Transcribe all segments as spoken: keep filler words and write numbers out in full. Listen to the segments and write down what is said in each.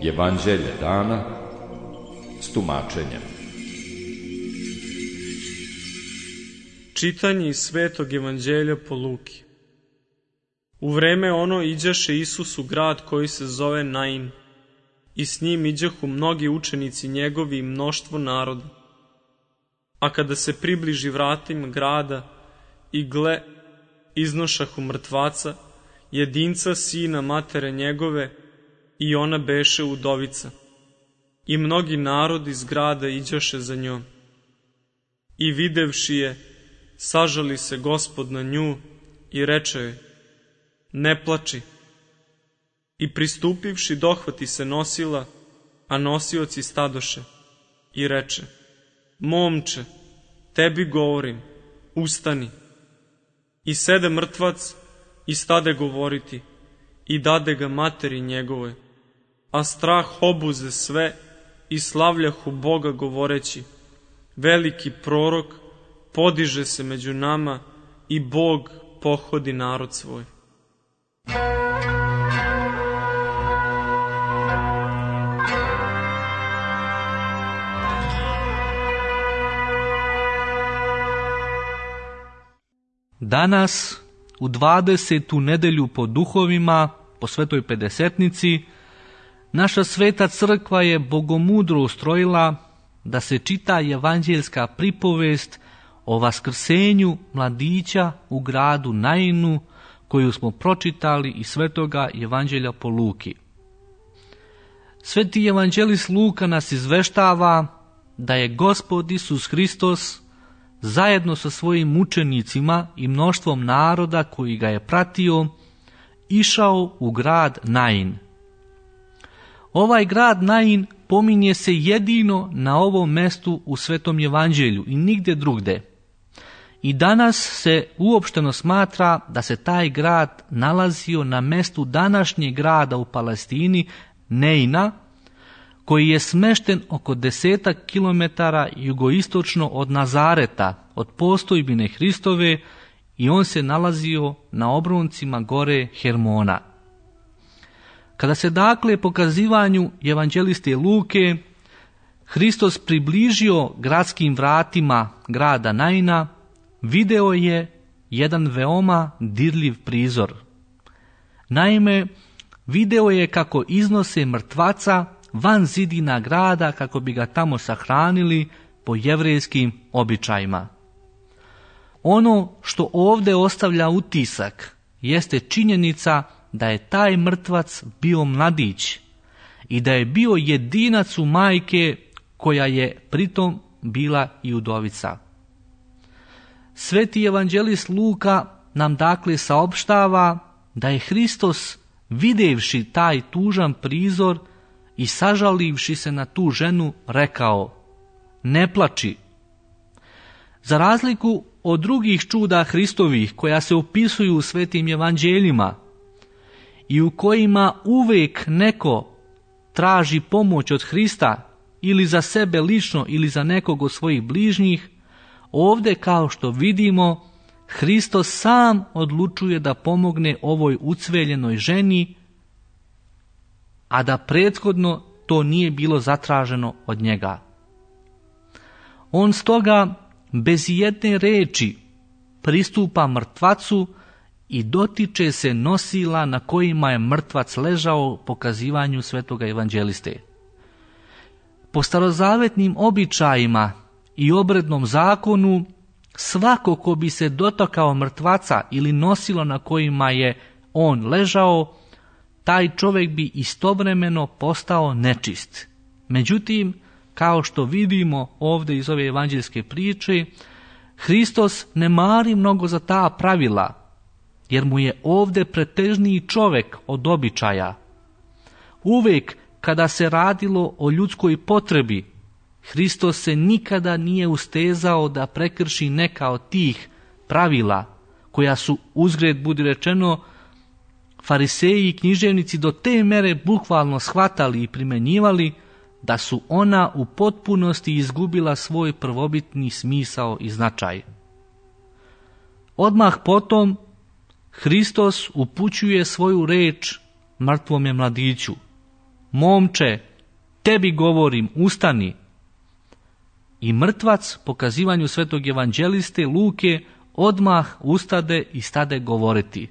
Evanđelje dana s tumačenjem. Čitanje iz Svetog evanđelja po Luki. U vreme ono iđaše Isus u grad koji se zove Nain, i s njim iđahu mnogi učenici njegovi i mnoštvo naroda. A kada se približi vratima grada, i gle, iznošahu mrtvaca, jedinca sina matere njegove, i ona beše udovica. I mnogi narod iz grada iđaše za njom. I videvši je, sažali se Gospod na nju i reče joj: ne plači. I pristupivši dohvati se nosila, a nosioci stadoše, i reče: momče, tebi govorim, ustani. I sede mrtvac i stade govoriti, i dade ga materi njegovoj. A strah obuze sve i slavljahu Boga govoreći: veliki prorok podiže se među nama i Bog pohodi narod svoj. Danas, u dvadesetu nedelju po duhovima, po svetoj pedesetnici, naša sveta crkva je bogomudro ustrojila da se čita evanđeljska pripovest o vaskrsenju mladića u gradu Nainu, koju smo pročitali iz svetoga evanđelja po Luki. Sveti evanđelist Luka nas izveštava da je Gospod Isus Hristos zajedno sa svojim učenicima i mnoštvom naroda koji ga je pratio išao u grad Nain. Ovaj grad Nain pominje se jedino na ovom mestu u Svetom evanđelju i nigde drugde. I danas se uopšteno smatra da se taj grad nalazio na mestu današnjeg grada u Palestini, Neina, koji je smešten oko desetak kilometara jugoistočno od Nazareta, od postojbine Hristove, i on se nalazio na obroncima gore Hermona. Kada se dakle pokazivanju evanđeliste Luke Hristos približio gradskim vratima grada Naina, video je jedan veoma dirljiv prizor. Naime, video je kako iznose mrtvaca van zidina grada kako bi ga tamo sahranili po jevrejskim običajima. Ono što ovdje ostavlja utisak jeste činjenica da je taj mrtvac bio mladić i da je bio jedinac u majke koja je pritom bila i udovica. Sveti evanđelist Luka nam dakle saopštava da je Hristos, videvši taj tužan prizor i sažalivši se na tu ženu, rekao: ne plači. Za razliku od drugih čuda Hristovih koja se opisuju u svetim evanđeljima i u kojima uvijek neko traži pomoć od Hrista ili za sebe lično ili za nekog od svojih bližnjih, ovdje, kao što vidimo, Hristos sam odlučuje da pomogne ovoj ucveljenoj ženi, a da prethodno to nije bilo zatraženo od njega. On stoga bez jedne reči pristupa mrtvacu i dotiče se nosila na kojima je mrtvac ležao, pokazivanju svetoga evanđeliste. Po starozavetnim običajima i obrednom zakonu, svako ko bi se dotakao mrtvaca ili nosilo na kojima je on ležao, taj čovjek bi istovremeno postao nečist. Međutim, kao što vidimo ovdje iz ove evanđeljske priče, Hristos ne mari mnogo za ta pravila, jer mu je ovdje pretežniji čovjek od običaja. Uvijek kada se radilo o ljudskoj potrebi, Hristos se nikada nije ustezao da prekrši neka od tih pravila, koja su, uzgred budi rečeno, fariseji i književnici do te mere bukvalno shvatali i primjenjivali, da su ona u potpunosti izgubila svoj prvobitni smisao i značaj. Odmah potom, Hristos upućuje svoju reč mrtvome mladiću. Momče, tebi govorim, ustani. I mrtvac, po kazivanju svetog evanđeliste Luke, odmah ustade i stade govoriti.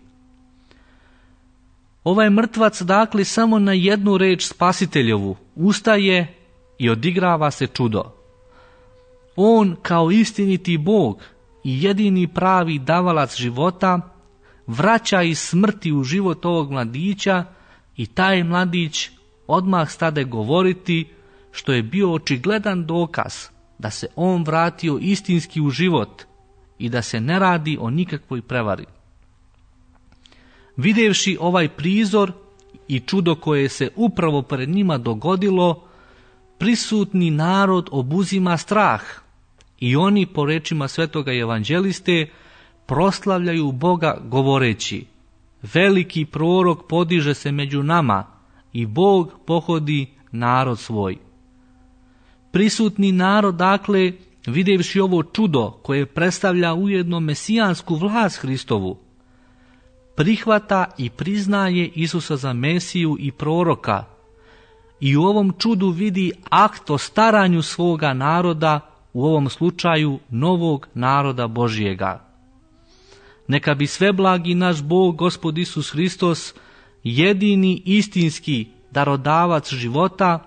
Ovaj mrtvac, dakle, samo na jednu reč Spasiteljevu ustaje i odigrava se čudo. On, kao istiniti Bog i jedini pravi davalac života, vraća iz smrti u život ovog mladića i taj mladić odmah stade govoriti, što je bio očigledan dokaz da se on vratio istinski u život i da se ne radi o nikakvoj prevari. Videvši ovaj prizor i čudo koje se upravo pred njima dogodilo, prisutni narod obuzima strah i oni, po rečima svetoga evanđeliste, proslavljaju Boga govoreći: veliki prorok podiže se među nama i Bog pohodi narod svoj. Prisutni narod, dakle, videvši ovo čudo koje predstavlja ujedno mesijansku vlast Hristovu, prihvata i priznaje Isusa za Mesiju i proroka i u ovom čudu vidi akt o staranju svoga naroda, u ovom slučaju novog naroda Božijega. Neka bi sveblagi naš Bog, Gospod Isus Hristos, jedini istinski darodavac života,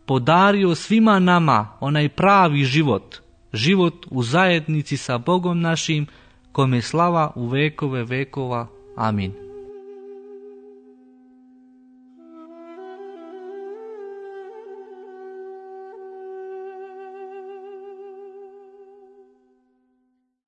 podario svima nama onaj pravi život, život u zajednici sa Bogom našim, kome slava u vekove vekova. Amin.